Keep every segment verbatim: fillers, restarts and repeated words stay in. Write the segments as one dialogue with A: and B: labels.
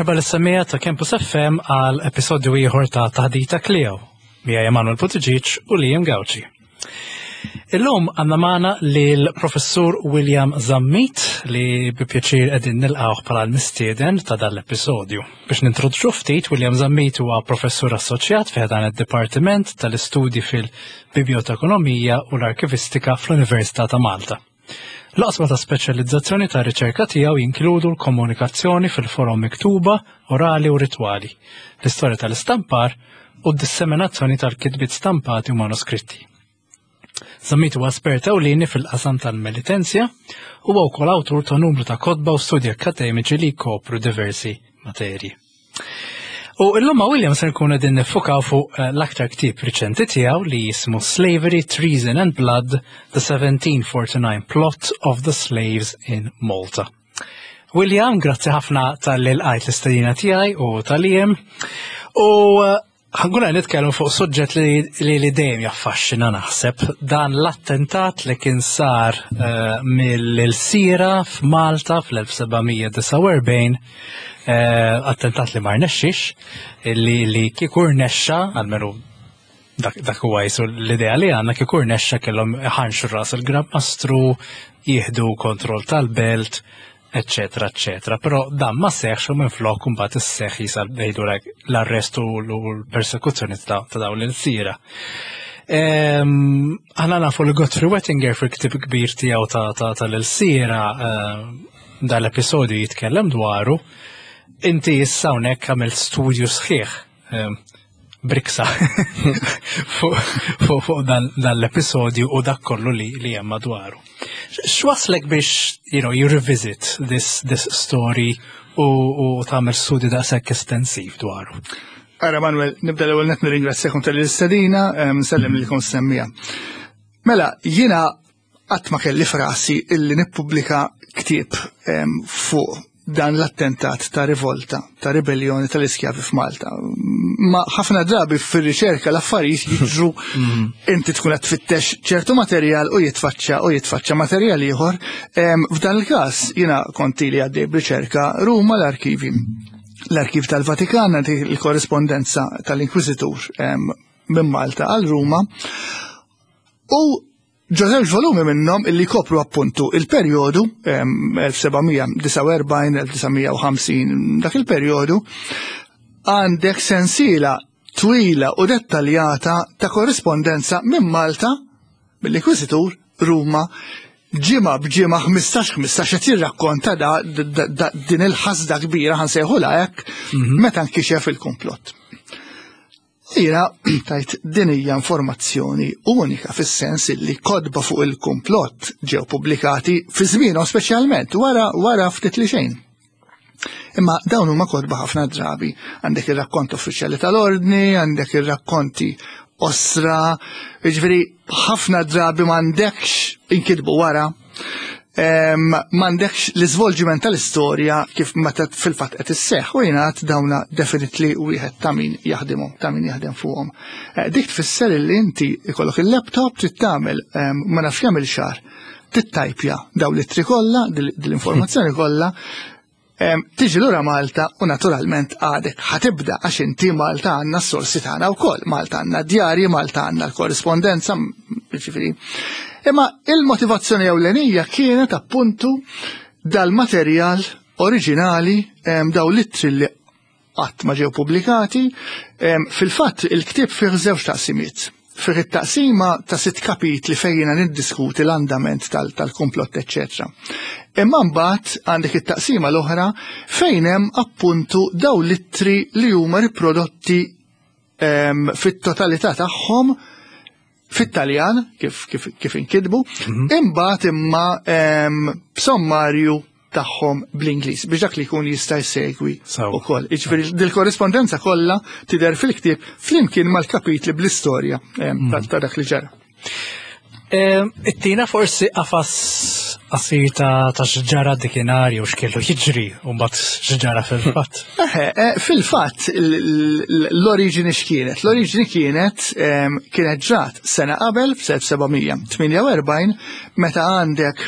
A: Merħba lis-semmiegħa ta' Campus F M għal episodju ieħor ta' Taħdita Kleo. Miegħi Emanuel Buttigieg u Liam Gauci. Illum għandna magħna lil Professur William Zammit, li bi pjaċir qegħdin nilqgħu bħala l-mistieden ta' dan l-episodju. Biex nintroduċu ftit, William Zammit huwa professur assoċjat fi dan id-Dipartiment tal-Istudji fil-Bibliotekonomija u l-Arkivistika fl-Università ta' Malta. L-oqsma ta' speċjalizzazzjoni ta' riċerka tiegħu jinkludu l-komunikazzjoni fil-forom miktuba, orali u ritwali, l-istorja tal-istampar u d-disseminazzjoni tal-kitbiet stampati u manuskritti. Zammit huwa espert ewlieni fil-qasam tal-Melitensja u huwa wkoll awtur ta' numru ta' kotba u studji akademiċi li jkopru diversi materji. U illum ma' William se nkunu qegħdin niffukaw fuq eh, l-aktar ktieb riċenti tiegħu li jismu Slavery, Treason and Blood: The seventeen forty-nine Plot of the Slaves in Malta. William, grazzi ħafna talli lqajt l-istedina tiegħi u ta' Liam. U eh, ħa nkunu nitkellmu fuq suġġett li li, li dejjem jaffaxxina, naħseb, dan l-attentat li kien sar uh, mill-ilsira f'Malta fl-elf seba' mija disgħa u erbgħin, uh, attentat li ma rnexxix, li li kieku rnexxa, almenu dak, dak huwa jisu l-idea li għandna, kieku rnexxa kellhom ħanxu ras il-Gran Mastru, jieħdu kontroll tal-belt, eccetera, eccetera. Però dan ma seħx u minn flok mbagħad isseħħ jisa ngħidu l-arrestu u l-persekuzzjoni ta' ta' dawn l-ilsira. Aħna nafu li Godfrey Wettinger fil-ktib kbir tiegħu ta' ta' tal-ilsira dal-episodju jitkellem dwaru. Inti issa hawnhekk għamilt studju sħiħ briksa fuq fu, fu dan, dan l-episodju u dak kollu li, li hemm madwaru. X'waslek biex, you know, you revisit this, this story u, u tagħmel studju daqshekk estensiv dwaru?
B: Ara Manuel, nibda l-ewwel net nirringrazzjakom tal-istedina, nsellem lilkom semmiegħa. Mela, jiena qatt ma kelli f'rasi illi nippubblika ktieb fuq dan l-attentat ta' rivolta, ta' ribellioni tal-iskjavi f'Malta. Ma ħafna drabi fir-riċerka l-affarijiet jiġru, inti tkun qed tfittex ċertu materjal u jitfaċċa u jitfaċċa materjal ieħor. F'dan il-każ jiena konti li għaddej b'riċerka Ruma, l-arkivi. L-arkiv tal-Vatikan, il-korrispondenza tal-Inkwizitur minn Malta għal Ruma. U ġo żewġ volumi minnhom illi kopru appuntu il-perjodu elf seba' mija disgħa u erbgħin-elf disa' mija u ħamsin, dak il-perjodu, għandek sensiela twila u dettaljata ta' korrispondenza minn Malta, mill-Inkwizitur, Ruma, ġimgħa b'ġimgħa, ħmistax ħmistax, qed jirrakkonta da, da, da, din il-ħasda kbira, ħa nsejħulha hekk, meta nkixef il-komplott. Jiena tajt din hija informazzjoni unika fis-sens li kotba fuq il-komplott ġew pubblikati fi żmienhom, speċjalment wara wara ftit li xejn. Imma dawn huma kotba ħafna drabi. Għandek ir-rakkont uffiċjali tal-ordni, għandek ir-rakkonti osra, jiġifieri ħafna drabi m'għandekx inkitbu wara, m'għandekx l-iżvolġiment tal-istorja kif meta fil-fatt qed isseħħ, u jingħad dawna definitely wieħed ta' min jaħdimhom, ta' min jaħdem fuqhom. Eh, dik tfisser li inti ikollok il-laptop, trid tagħmel ma nafx kemm il-xahar tittajpja daw l-ittri kollha, dil-informazzjoni kollha, tiġi lura Malta u naturalment għadek ħa tibda, għax inti Malta għandna s-sorsi tagħna wkoll, Malta għandna djarji, Malta għandna l-korrispondenza, ġifieri. Imma il-motivazzjoni ewlenija kienet appuntu dal-materjal oriġinali, daw l-ittri li qatt ma ġew pubblikati. Fil-fatt il-ktieb fih żewġ taqsimiet. Fih it-taqsima ta' sitt kapitli fejn jiena niddiskuti l-andament tal-komplott, eċċetera. Imma mbagħad għandek it-taqsima l-oħra fejn hemm appuntu daw l-ittri li huma riprodotti fit-totalità tagħhom fit-Taljan kif, kif, kif inkitbu, mhm. imbagħad imma b'sommarju tagħhom bl-Ingliż biex dak li jkun jista' jsegwi ukoll. Jiġifieri dil-korrispondenza kollha tidher fil-ktieb flimkien mal-kapitli bl-istorja mhm. ta' dak li ġara.
A: Ittina forsi qafas qasir ta' ta' x'ġara dakinhar u x'kellu jiġri u mbagħad x'ġara fil-fatt.
B: Eh, fil-fatt l-oriġini x'kienet? L-oriġini kienet kienet ġrat sena qabel, f'elf seba' mija tmienja u erbgħin, meta għandek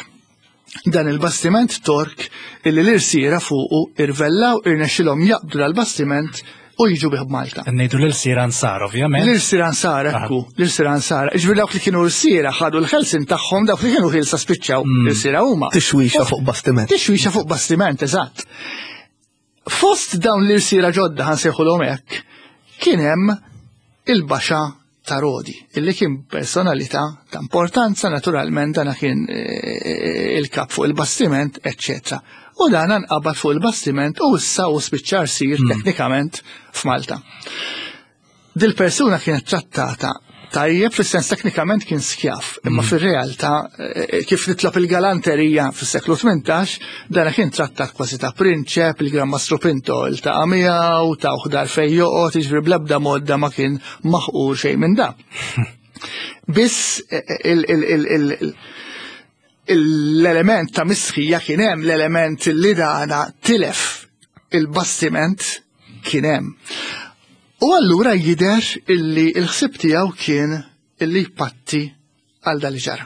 B: Dan il-bastiment Tork illi l-irsiera fuqu irvellaw, irnexxilhom jaqbdu dal-bastiment u jiġu bih Malta.
A: Ngħidu l-ilsira nsara, ovvjament.
B: L-irsira nsara, ekku, l-irsira nsara. Ġifieri dawk li kienu rsiera ħadu l-ħelsin tagħhom, dawk li kienu ħilsa spiċċaw l-irsira huma.
C: Tixwixa fuq bastiment.
B: Tixwixa fuq bastiment, eżatt. Fost dawn l-irsira ġodda, ħa nsejħulhom hekk, kien hemm il-Baxa ta' Rodi, illi kien personalità ta' importanza, naturalment dana kien eh, il-kap fuq il-bastiment, eccetera. U dan nqabad fuq il-bastiment u issa u spiċċa rsir teknikament f'Malta. Dil-persuna kienet trattata tajjeb, fis-sens teknikament kien skjaf, imma fir-realtà eh, kif nitlob il-galanterija fis-seklu tmintax, dana kien trattat kważi ta' prinċep, il-Gran Mastru Pinto iltaqa' miegħu, ta' dar fejn joqgħod, jiġifieri bl-ebda mod ma kien maħqur xejn minn da. Biss eh, il- il- il- il- l-element ta' mistħija kien hemm, l-element li dana tilef il-bastiment kien hemm. U allura jidher illi il-ħsib tiegħu kien illi jpatti għal dal ġara.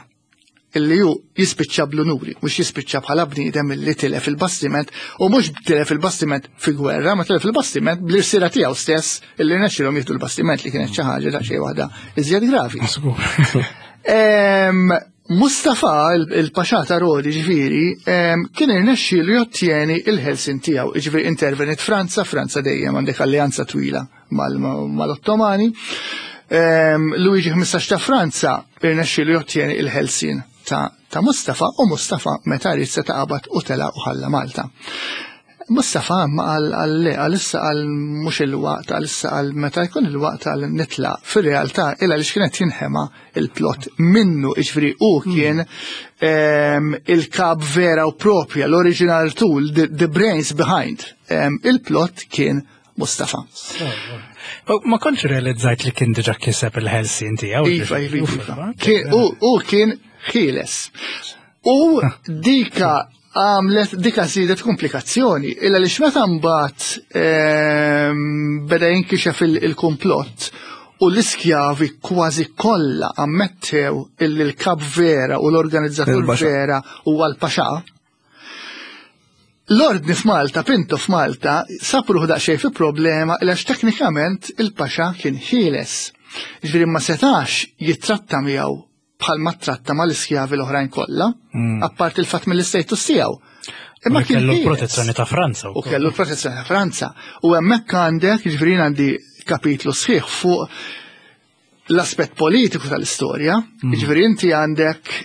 B: Illi ju jispiċċa bl-unuri, mhux jispiċċa bħala bniedem illi tilef il-bastiment, u mhux tilef il-bastiment fi gwerra, ma tilef il-bastiment bl-irsira tiegħu stess illi rnexxilhom jieħdu l-bastiment, li kienet xi ħaġa daqsxejn waħda iżjed gravi. Em, Mustafa, il- il-Paxà ta' Rodi, ġifieri, em, kien irnexxielu jottjeni il-ħelsin tiegħu, ġifieri intervenit Franza, Franza dejjem għandek alleanza twila mal- mal-Ottomani. Em, Luigi ħmistax ta' Franza irnexxielu jottjeni il-ħelsin ta', ta' Mustafa, u Mustafa meta ried seta' qabad u tela u ħalla Malta. Mustafa ma għal għal le, għal issa, għal mhux il-waqt, għal issa, għal meta jkun il-waqt għal nitla. Fil-realtà, illa li x'kienet jinħema il-plot minnu, iġifieri u kien em, il-kap vera u propja, l-original tool, the, the brains behind. Em, il-plot kien Mustafa.
A: Ma kontx realizzajt li kien diġa kiseb il-ħelsin tiegħu.
B: Iva, iva, iva. Kien- U u kien ħieles. U dika għamlet, dika zidet komplikazzjoni, illa li xmeta mbagħad ehm, beda jinkixef il- il-komplott u l-iskjavi kważi kollha ammettew illi l-kap vera u l-organizzatur
C: Il-Paxa.
B: vera huwa l-Paxa. L-ordni f'Malta, Pinto f'Malta, sapruħ daqsxejn fi problema għax teknikament il-Paxa kien ħieles. Ġifieri ma setax jittratta miegħu bħal ma tratta mal-iskjavi l-oħrajn kollha, apart il-fatt mill-istatus tiegħu.
A: Imma
B: Imma kien
A: kellu
B: ħieles.
A: protezzjoni ta' Franza.
B: U kellu l-protezzjoni ta' Franza. U hemmhekk għandek, ġifieri għandi kapitlu sħiħ fuq l-aspett politiku tal-istorja. Ġifieri inti għandek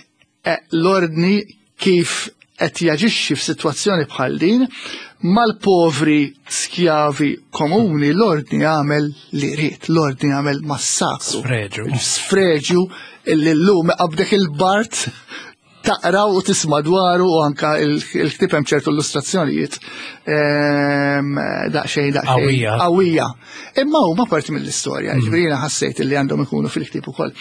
B: eh, l-ordni kif qed jaġixxi f'sitwazzjoni bħal din mal-povri skjavi komuni, l-ordni għamel li ried, l-ordni għamel massakru.
A: Sfreġu.
B: Sfreġu illi llum qabdek il-bard taqra u tisma' dwaru, u anka il- il-ktib hemm ċertu illustrazzjonijiet ehm, daqsxejn daqsxejn
A: Qawwija.
B: qawwija. Imma huma parti mill-istorja, ġifieri jiena ħassejt li għandhom ikunu fil-ktib ukoll.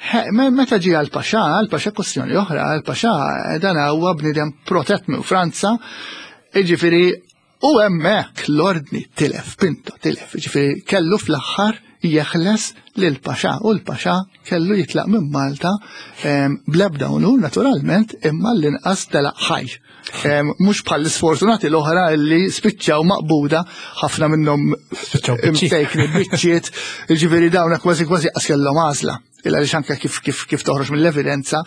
B: He, me- Meta ġie għal-Paxa, għal-Paxa kwestjoni oħra, għal-Paxa dan huwa bniedem protett minn Franza, ġifieri u hemmhekk l-ordni tilef, Pinto tilef, ġifieri kellu fl-aħħar jeħles lil Paxa u l-Paxa kellu jitlaq minn Malta em, bl-ebda unur naturalment, imma l-inqas telaq ħaj. Em, Mhux bħal l-sfortunati l-oħra li spiċċaw maqbuda, ħafna minnhom
A: Spiċċaw biċċiet.
B: imsejkni biċċiet, ġifieri dawna kważi kważi qas kellhom għażla. Illa li anke kif kif kif toħroġ mill-evidenza.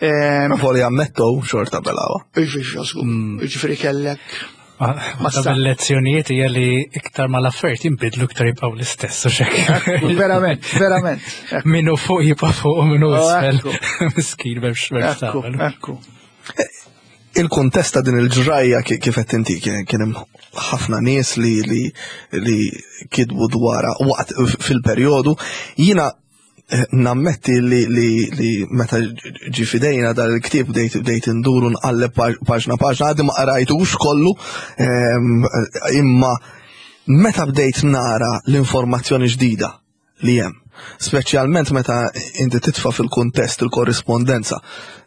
B: em,
C: Ma foli ammettow xorta belawa.
B: Ġifieri kellek
A: Ma ta' lezzjonijiet hija li iktar ma l-affarijiet jinbidlu, iktar jibqgħu l-istess u xek.
B: Verament, verament.
A: Minu fuq jibqa' fuq u minu
B: Oh,
A: isfel.
B: ekku.
A: Miskin b'hemmx b'hemmx
B: Ekku,
A: tagħmel.
B: ekku.
C: Il-kuntest ta' din il-ġrajja ki- kif qed inti kien kien hemm ħafna nies li li li kitbu dwarha waqt fil-perjodu. Jiena eh, nammetti li li li meta ġi fidejna dal il-ktieb bdejt bdejt induru nqalleb paġ- paġna paġna, għadi ma qrajtux kollu, ehm, imma meta bdejt nara l-informazzjoni ġdida li hemm, speċjalment meta inti titfa' fil-kuntest il-korrispondenza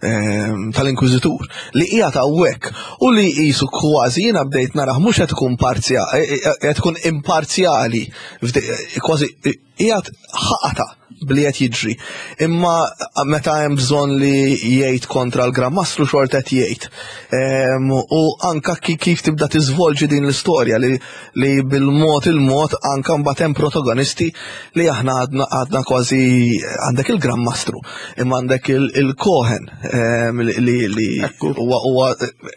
C: ehm, tal-Inkwiżitur li hija hawnhekk u li qisu kważi jiena bdejt narah mhux qed ikun parzjali, qed ikun imparzjali, fde- kważi qiegħed ħaqata bli qed jiġri. Imma meta hemm bżonn li jgħid kontra l-Gran Mastru xorta qed jgħid. Em, U anka ki- kif tibda tiżvolġi din l-istorja li, li bil-mod il-mod anka mbagħad hemm protagonisti li aħna għadna għadna kważi għandek il-Gran Mastru, imma għandek il-Cohen em, li li li
B: Ekku.
C: huwa huwa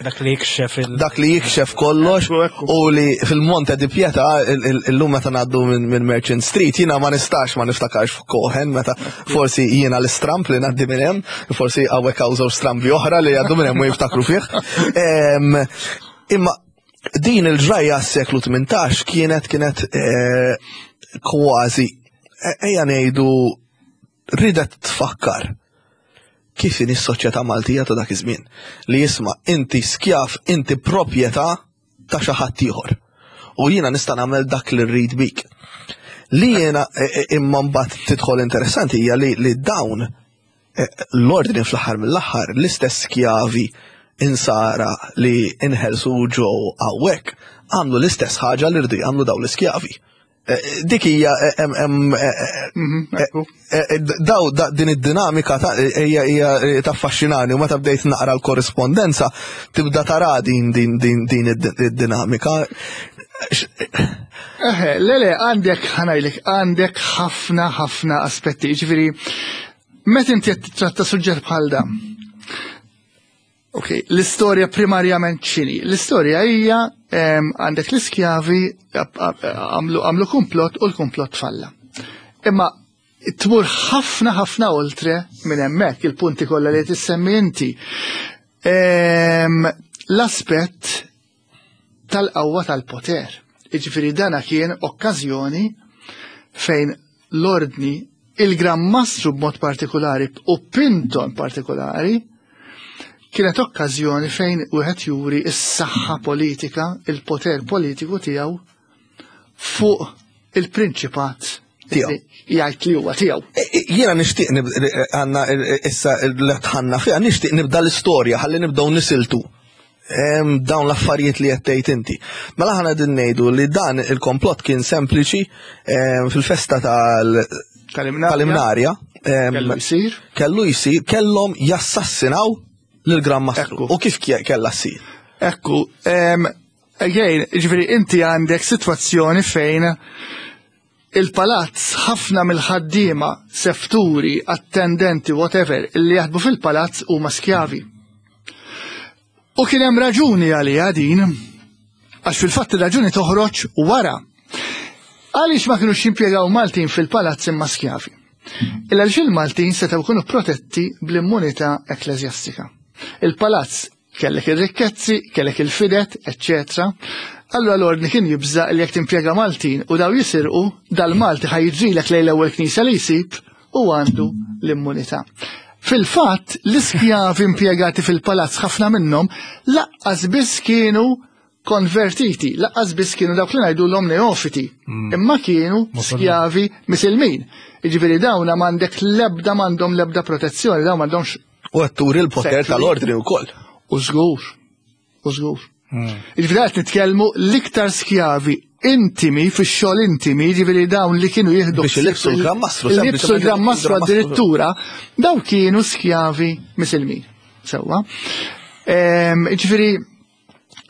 A: Dak li jikxef il-
C: dak li jikxef kollox
B: Ekku, ekku.
C: u li fil-Monte di Pietà il- il- illum meta ngħaddu minn minn Merchant Street jiena ma nistax ma niftakarx fuq Cohen meta forsi jiena l-istramp li ngħaddi minn hemm, forsi hawnhekk hawn żewġ strambi oħra li jgħaddu minn hemm u jiftakru fih. Em, Imma din il-ġrajja s-seklu tmintax kienet kienet eh, kważi eh, ejja ngħidu ridet tfakkar kif in is-soċjetà Maltija ta' dak iż-żmien li jisma' inti skjav, inti proprjetà ta' xi ħadd ieħor. U jiena nista' nagħmel dak li rrid bik. Li jiena e, e, imma mbagħad tidħol interessanti hija li, li dawn e, l-ordni fl-aħħar mill-aħħar l-istess skjavi insara li inħelsu ġew hawnhekk għamlu l-istess ħaġa li rridu jagħmlu dawn l-iskjavi. Eh, Dik hija eh, hemm hemm eh, eh,
B: Mhm, ekku.
C: Eh, eh, Daw da, din id-dinamika ta' hija hija taffaxxinani u meta bdejt naqra l-korrispondenza tibda tara din din din din id- id-dinamika. X-
B: Eħe, le le, għandek, ħa ngħidlek, għandek ħafna, ħafna aspetti. Ġifieri, meta inti qed titratta suġġett bħal dan. Ok, l-istorja primarjament x'inhi? L-istorja hija em, għandek l-iskjavi għamlu għamlu komplott u l-komplott falla. Imma tmur ħafna ħafna oltre minn hemmhekk il-punti kollha li tissemmi inti. Em, L-aspett tal-qawwa tal-poter. Iġifieri dana kien okkażjoni fejn l-ordni, il-Gran Mastru b'mod partikolari u Pinton partikolari, kienet okkażjoni fejn wieħed juri s-saħħa politika, il-poter politiku tiegħu fuq il-prinċipat
C: Tiegħu.
B: li jgħid li huwa tiegħu.
C: Eh, eh, Jiena nixtieq nib- eh, għandna eh, issa li tħanna fiha nixtieq nibda l-istorja ħalli nibdew nisiltu em, dawn l-affarijiet li qed tgħid inti. Mela aħna din ngħidu li dan il-komplott kien sempliċi em, fil-festa tal
B: Tal-Imnarja.
C: tal-Imnarja em,
B: Kellu jsir.
C: kellu jsir kellhom jassassinaw lil-Gran Mastru.
B: Ekku.
C: U kif kie- kellha ssir?
B: Ekku, em, again, ġifieri inti għandek situazzjoni fejn il-palazz ħafna mill-ħaddiema, sefturi, attendenti, whatever, li jaħdmu fil-palazz huma skjavi. U kien hemm raġuni għalija din, għax fil-fatt ir-raġuni toħroġ wara. Għaliex ma kienux jimpjegaw Maltin fil-palazz imma skjavi? Illa għaliex il-Maltin setgħu jkunu protetti bl-immunità ekkleżjastika. Il-palazz kellek ir-rikkezzi, kellek il-fidet, eccetera. Allura l-ordni kien jibża li jekk timpjega Maltin u daw jisirqu, dal-Malti ħa jiġrilek lejn l-ewwel knisja li jsib u għandu l-immunità. Fil-fatt, l-iskjavi impjegati fil-palazz ħafna minnhom lanqas biss kienu konvertiti, lanqas biss kienu dawk li ngħidu l neofiti, imma kienu skjavi misilmin. Jiġifieri dawna m'għandek lebda m'għandhom lebda protezzjoni, dawn m'għandhomx
C: U qed turi l-poter
B: Sekli.
C: tal-ordni wkoll.
B: u żgur, u żgur. Jiġifieri qed nitkellmu l-iktar skjavi intimi fix-xogħol intimi, jiġifieri dawn li kienu jieħdu
C: Biex ilibsu l-Gran Mastru,
B: Ilibsu
C: sempliċement
B: l-Gran Mastru
C: il-Gran Mastru.
B: addirittura, dawn kienu skjavi misilmin. Sewwa. Ehm, Jiġifieri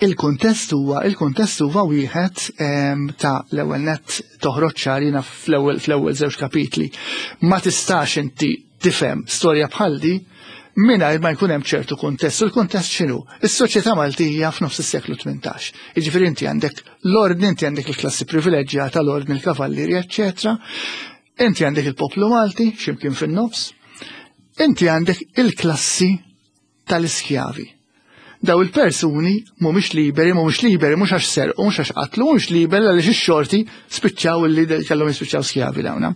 B: il-kuntest huwa il-kuntest huwa wieħed ehm, ta' l-ewwel nett toħroġ ċarina fl-ewwel fl-ewwel żewġ kapitli. Ma tistax inti tifhem storja bħal di mingħajr ma jkun hemm ċertu kuntest. U l-kuntest x'inhu? Is-soċjetà Maltija f'nofs is-seklu tmintax. Jiġifieri inti għandek l-ordni, inti għandek il-klassi privileġġjata, l-ordni, il-kavallieri, eċċetera. Inti għandek il-poplu Malti, x'imkien fin-nofs. Inti għandek il-klassi tal-iskjavi. Daw il-persuni mhumiex liberi, mhumiex liberi, mhux għax serqu, mhux għax qatlu, mhux liberi għaliex ix-xorti spiċċaw illi kellhom jispiċċaw skjavi dawna.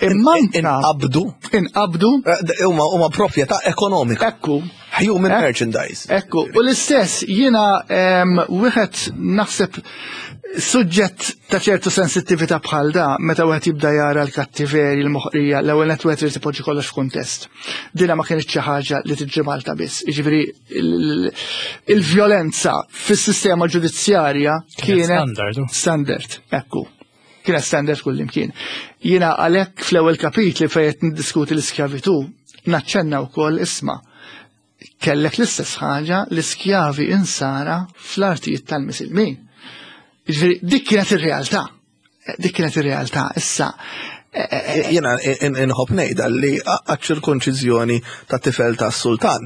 B: Imma
C: Inqabdu.
B: Inqabdu.
C: Eh, Huma huma proprjetà ekonomika.
B: Ekku.
C: Human
B: Ek-
C: merchandise.
B: Ekku, u l-istess jiena em, wieħed naħseb suġġett ta' ċertu sensittività bħal da, meta wieħed jibda jara l-kattiveri, l-moħqrija, l-ewwel nett wieħed irid ipoġġi kollox f'kuntest. Dina ma kienx xi ħaġa li tiġi Malta biss. Jiġifieri il- il-vjolenza fis-sistema ġudizzjarja
A: Kienet
B: kienet
A: standard, u.
B: standard, ekku. Kienet standard kullimkien. Jiena għalhekk fl-ewwel kapitli fejn qed niddiskuti l-iskjavitu, naċċenna wkoll, isma', kellek l-istess ħaġa, l-iskjavi insara fl-artijiet tal-Misilmin. Ġifieri dik kienet ir-realtà. Dik kienet ir-realtà. Issa
C: Jiena inħobb ngħidha li għaċ-ċirkonċiżjoni ta' tifel ta' sultan,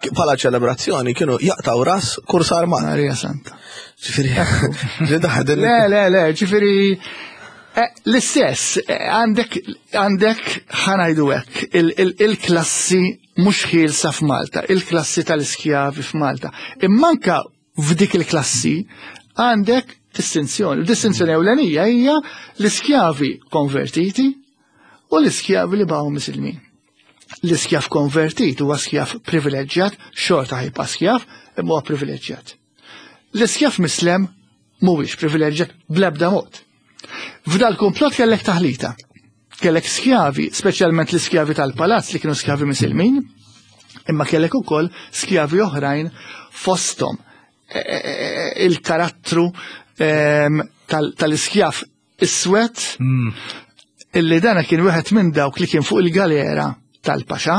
C: bħala ċelebrazzjoni kienu jaqtaw ras kursar man.
B: Marija Santa.
C: Ġifieri,
B: Le, le, le, ġifieri eh, l-istess, eh, għandek, għandek ħa ngħidu hekk, il-klassi mhux ħielsa f'Malta, il-klassi tal-iskjavi f'Malta. Imma anka f'dik il-klassi għandek distinzjoni. Distinzjoni ewlenija hija l-iskjavi konvertiti u l-iskjavi li baqgħu misilmin. L-iskjav konvertit huwa skjav privileġġjat, xorta ħa jibqa' skjav, imma huwa privileġġjat. L-iskjav mislem mhuwiex privileġġjat bl-ebda mod. F'dal komplott kellek taħlita. Kellek skjavi, speċjalment l-iskjavi tal-palazz li kienu skjavi misilmin, imma kellek ukoll skjavi oħrajn, fosthom e, e, e, il-karattru tal-iskjav iswed mm. illi dana kien wieħed minn dawk li kien fuq il-galera tal-Paxa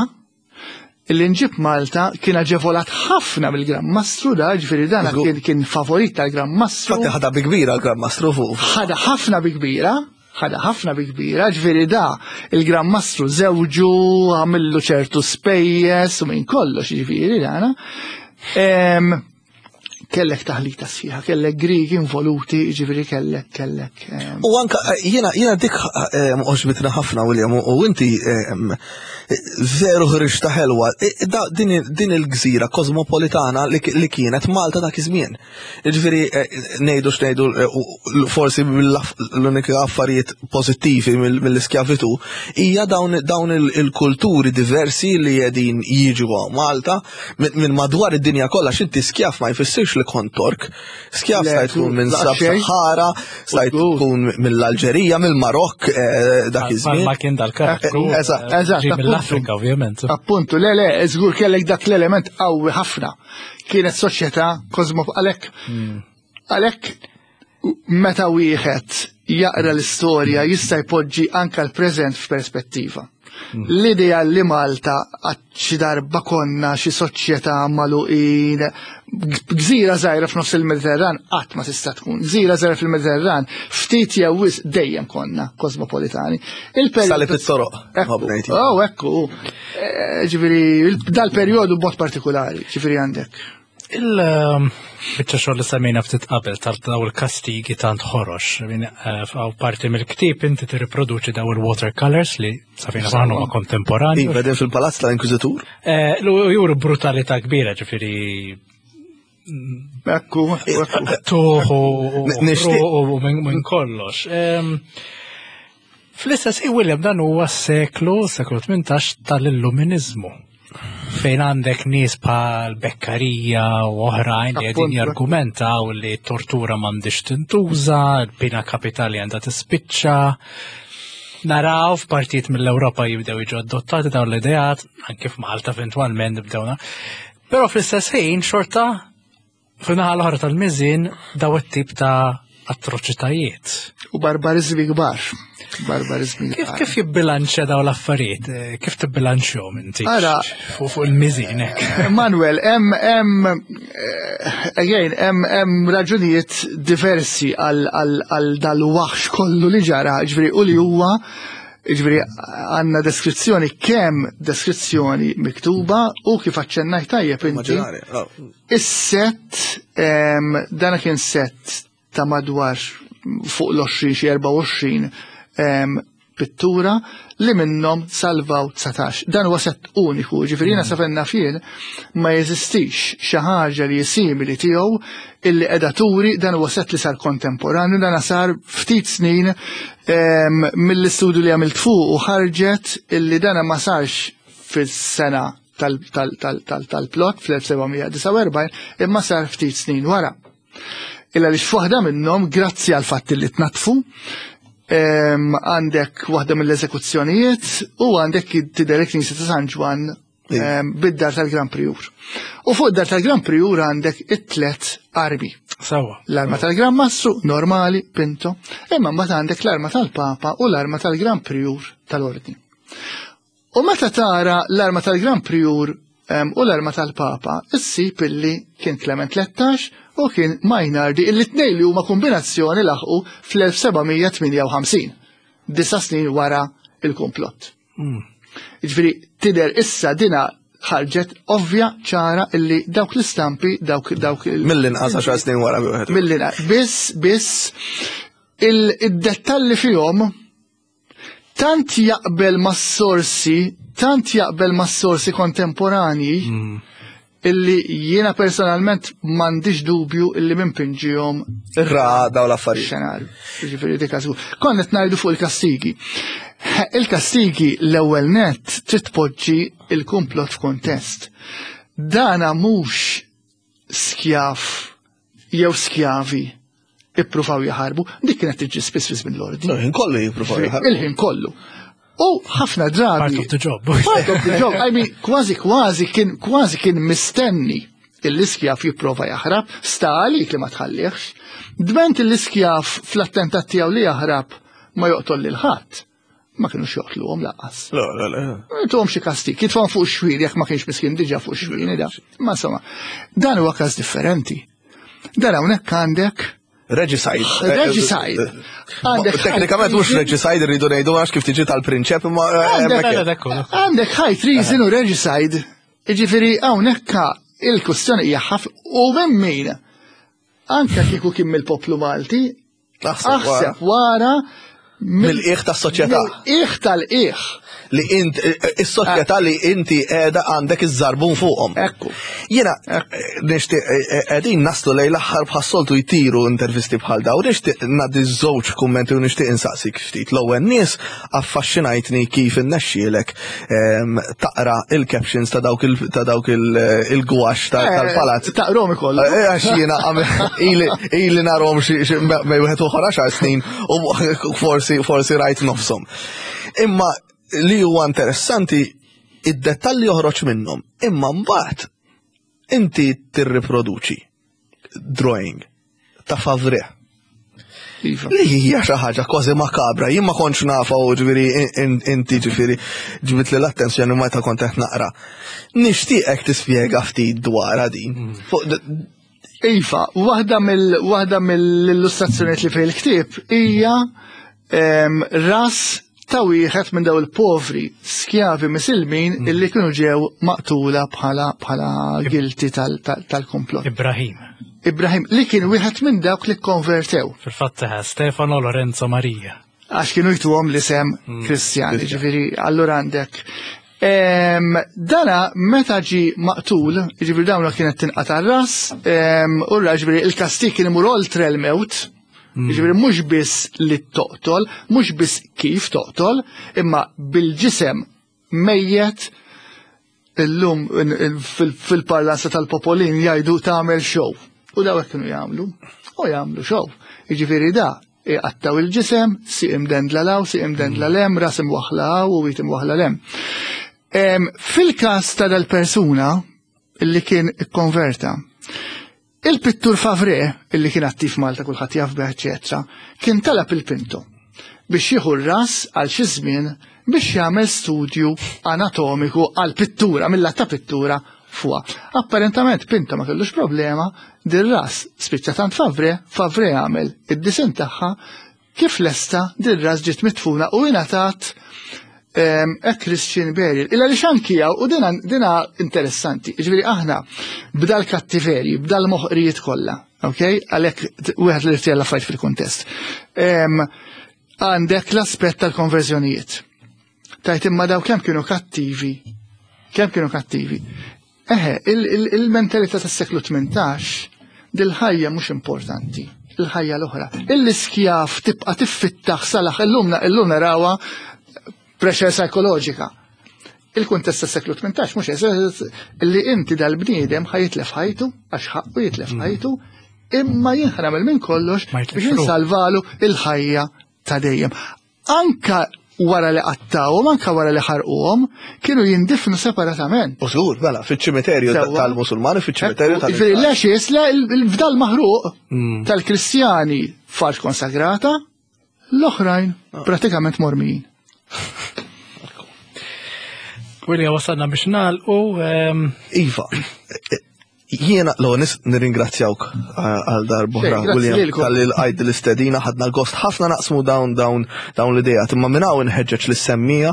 B: illi nġib Malta, kien aġevolat ħafna mill-Gran Mastru da, ġifieri dana kien, kien favorit tal-Gran Mastru.
C: Fatti ħada bi kbira l-Gran Mastru fuq.
B: Ħada ħafna bi kbira, ħada ħafna bi kbira, ġifieri da il-Gran Mastru żewġu, għamillu ċertu spejjeż u minn kollox, ġifieri dana. Kellek taħlita sħiħa, kellek Grigi involuti, ġifieri kellek, kellek.
C: U anka, jiena, jiena dik għoġbitna ħafna, William, u inti veru ħriġta ħelwa, din il-gżira kosmopolitana li kienet Malta dak iż-żmien. Ġifieri, ngħidu x'ngħidu, forsi l-unika affarijiet pożittivi mill-iskjavitu hija dawn il-kulturi diversi li qegħdin jiġu Malta minn madwar id-dinja kollha. X'inti skjav ma jfissirx li kont Tork. Skjav stajt tkun minn Sab-Sahara, stajt tkun mill-Alġerija, mill-Marokk dak iż-żmien.
A: Ma kien dal-karattru.
B: Eżatt, eżatt.
A: Mill-Afrika, ovvjament.
B: Appuntu, le, le, żgur kellek dak l-element qawwi ħafna. Kienet soċjetà kosmo għalhekk. Għalhekk meta wieħed jaqra l-istorja jista' jpoġġi anka l-preżent f'perspettiva. L-idea li Malta għad xi darba konna xi soċjetà magħluqin, gżira żgħira f'nofs il-Mediterran, qatt ma tista' tkun. Gżira żgħira fil-Mediterran, ftit jew wisq dejjem konna kosmopolitani.
C: Salib it-toroq.
B: Oh, ekku. Eh, ġifieri dal-perjodu b'mod partikolari, ġifieri għandek.
A: Il-bicċa xogħol li semmejna ftit qabel tal daw il-kastigi tant ħorox. Għaw parti mill-ktieb inti tirriproduċi daw il-watercolors li safina saħnu ma kontemporani.
C: Iva, fil-palazz tal-Inkwiżitur?
A: Eh, juru brutalità kbira, ġifieri
B: Ekku,
A: tuħu u minn kollox. Fl-istess, William, dan huwa seklu, seklu tmintax tal-Illuminizmu, fejn għandek nies bħal Beccaria u oħrajn li qegħdin jargumentaw li tortura m'għandix tintuża, l-pina kapitali għandha tispiċċa. Naraw f'partijiet mill-Ewropa jibdew jiġu adottati dawn l-ideat, anke f'Malta eventwalment nibdewna. Però fl-istess ħin xorta fin-naħa l-oħra tal-miżin daw it-tip ta' atroċitajiet.
B: U barbarizmi kbar. Barbarizmi
A: Kif kif jibbilanċja daw l-affarijiet? Kif tibbilanċjhom inti?
B: Ara,
A: fuq fuq il-miżin hekk.
B: Manuel, hemm hemm eh, again hemm hemm raġunijiet diversi għal għal dal-waħx kollu li ġara, ġifieri u li huwa, ġifieri għandna deskrizzjoni, kemm deskrizzjoni miktuba u kif aċċennajt tajjeb inti.
C: Oh.
B: Is-set, dana kien set ta' madwar fuq l-għoxrin, xi erbgħa u għoxrin pittura li minnhom salvaw dsatax. Dan huwa set uniku, ġifieri jiena sa fejn naf jien ma jeżistix xi ħaġa li simili tiegħu illi qiegħda turi. Dan huwa set li sar kontemporanju, dan sar ftit snin mill-istudju li għamilt fuq u ħarġet illi dana ma sarx fis-sena tal-plot fl-elf seba' mija disgħa u erbgħin imma sar ftit snin wara. Illa li f'waħda minnhom, grazzi għal fatt li tnatfu, għandek waħda mill-eżekuzzjonijiet u għandek tidher il-Knisja ta' San Ġwann. Bid-dar tal-Gran Prior. U fuq id-dar tal-Gran Prior għandek it-tlet armi.
A: Sawa.
B: L-arma tal-Gran Mastru, normali, Pinto, imma mbagħad għandek l-arma tal-Papa u l-arma tal-Gran Prior tal-Ordni. U meta tara l-arma tal-Gran Prior u l-arma tal-Papa, issib illi kien Clement tlettax u kien Mainardi, illi tnejn li huma kombinazzjoni laħqu fl-elf seba' mija tmienja u ħamsin, disa' snin wara il-komplott. Jiġifieri tidher issa dina ħarġet ovvja ċara illi dawk l-istampi, dawk, dawk il-
C: Mill-inqas għaxar snin wara bi wieħed.
B: Mill-inqas. Biss, biss, il-, id-dettalli fihom tant jaqbel mas-sorsi, tant jaqbel mas-sorsi kontemporanji
A: Mm.
B: illi jiena personalment m'għandix dubju illi minn pinġihom
C: Ra daw l-affarijiet.
B: Xenarju. Jiġifieri dik għażu. Konna qed ngħidu fuq il-kastigi. Il-kastigi l-ewwel nett trid tpoġġi il-kumplott f'kuntest. Dana mhux skjav jew skjavi ippruvaw jaħarbu, dik kienet tiġi spiss fi żmien l-ordni.
C: Il-ħin kollu jippruvaw jaħarbu.
B: Il-ħin kollu. U ħafna drabi.
A: Part of the job.
B: Part of the job. I mean, kważi, kważi kien, kważi kien mistenni l-iskjav jipprova jaħrab, sta għalik li ma tħallihx. Dment l-iskjav fl-attentat tiegħu li jaħrab ma joqtol lil ħadd. Ma kienux joqtluhom lanqas.
C: Le, le, le.
B: Tuhom xi kastig, jitfgħu fuq xwir jekk ma kienx miskin diġà fuq xwir, da. Ma insomma, dan huwa każ differenti. Dan hawnhekk għandek
C: Regicide.
B: Regicide. Għandek
C: Teknikament mhux regicide rridu ngħidu għax kif tiġi tal-prinċep imma, eh,
B: Għandek
C: hemmhekk.
A: Le, le, ekku, ekku.
B: Għandek high treason u regicide. Jiġifieri hawnhekk il-kwestjoni hija ħaf u minn min anke kieku kien mill-poplu Malti,
C: Aħseb
B: aħseb wara
C: mill-qiegħ tas-soċjetà.
B: Mill-qiegħ tal-qiegħ.
C: Li int, is-soċjetà li inti qiegħda għandek iż-żarbun fuqhom.
B: Ekku.
C: Jiena, nixtieq, qegħdin naslu lejn l-aħħar bħas-soltu jtiru intervisti bħal daw, nixtieq ngħaddi żewġ kummenti u nixtieq insaqsik ftit. L-ewwel nies affaxxinajtni kif innexxielek, ehm, taqra il-captions ta' dawk il-, ta' dawk il-, il-gwax ta',
B: Eh,
C: tal-palazz.
B: Taqrom ikoll.
C: Eh, għax jiena għam-, ili, ili narhom xi, xi bejn wieħed u ieħor għaxar snin u forsi, forsi rajt nofshom. Imma li huwa interessanti id-dettalli joħroġ minnhom, imma mbagħad inti tirriproduċi drawing ta' Favre.
B: Iva.
C: Li hija xi ħaġa kważi makabra, jien ma kontx nafa u ġifieri in-, in-, inti ġifieri ġbit li l-attenzjoni meta kont qed naqra. Nixtieqek tispjega ftit dwarha din.
A: Mm.
C: Fuq d-,
B: Iva, waħda mill-, waħda mill-illustrazzjonijiet li fil-ktieb hija, em, ras ta' wieħed minn daw il-povri skjavi misilmin
A: Mm.
B: illi kienu ġew maqtula bħala, bħala guilty tal-, tal-, tal-komplott.
A: Ibrahim.
B: Ibrahim, li kien wieħed minn dawk li konvertew.
A: Fil-fatt eh, Stefano Lorenzo Maria.
B: Għax kienu jtuhom l-isem
A: Mm.
B: Kristjan, ġifieri, allura għandek. Em, dana meta ġi maqtul, ġifieri dawna kienet tinqata' ras, em, u ra ġifieri il-kastig kien imur oltre l-mewt,
A: Mm.
B: ġifieri mhux biss li toqtol, mhux biss kif toqtol, imma bil-ġisem mejjet illum in-, in-, fil-, fil-parlanza tal-popolin jgħidu tagħmel show. U daw hekk kienu jagħmlu, u jagħmlu show. Jiġifieri da iqattaw il-ġisem, si imdendla law, si imdendla lem, ras imwaħla hawn u wit imwaħla lem. Em, fil-każ ta' dal-persuna illi kien ikkonverta, il-pittur Favre, illi kien attiv Malta kulħadd jaf bih, eċetera, kien talab il-Pinto biex jieħu r-ras għal xi żmien biex jagħmel studju anatomiku għal pittura, mill-lat ta' pittura fuqha. Apparentament Pinto ma kellux problema, dir-ras spiċċa tant Favre, Favre għamel id-disin tagħha kif lesta dir-ras ġiet mitfuna u ingħatat, em, a Christian burial. Illa li xankija u dina, dina interessanti. Ġifieri aħna b'dal kattiveri, b'dal moħqrijiet kollha, ok? Għalhekk wieħed li rtijalla fajt fil-kuntest. Em, għandek l-aspett tal-konverżjonijiet. Tajt imma daw kemm kienu kattivi, kemm kienu kattivi. Eħe, il-, il-, il-mentalità tas-seklu tmintax, dil-ħajja mhux importanti, il-ħajja l-oħra. Il-iskjaf tibqa' tiffittaħ salaħ, illum na-, illum narawha pressure psikoloġika. Il-kuntest tas-seklu tmintax mhux eżatt li inti dal-bniedem ħajitlef ħajtu, għax ħaqqu jitlef
A: Mm.
B: ħajtu, imma jien ħanamel minn kollox
A: Ma jitlefx
B: biex
A: ruħu.
B: insalvalu il-ħajja ta' dejjem. Anka Wara li qattawhom, anka wara li ħarquhom, kienu jindifnu separatament.
C: U żgur, mela, fiċ-ċimiterju tal-Musulmani, fiċ-ċimiterju
B: tal Jiġifieri l-ashes, il-fdal maħruq mm. tal-Kristjani f'art konsagrata, l-oħrajn ah. pratikament mormijin.
A: William, wasalna biex nagħlqu. Ehm,
C: iva, jiena l nis nirringrazzjawk eh, għal darb'oħra, William, talli lqajt l-istedina, ħadna gost ħafna naqsmu dawn dawn dawn l-idea. Imma minn hawn inħeġġeġ lis-semmiegħa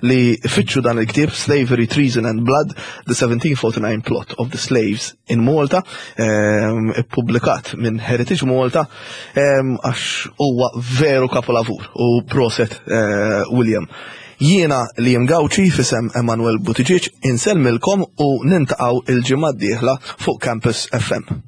C: li fittxu dan il-ktieb Slavery, Treason and Blood, The seventeen forty-nine Plot of the Slaves in Malta, ehm, ippubblikat minn Heritage Malta, ehm, għax huwa veru kapolavur u proset, eh, William. Jiena Liam Gauci f'isem Emanuel Buttigieg insellmilkom u niltaqgħu il-ġimgħa d-dieħla fuq Campus F M.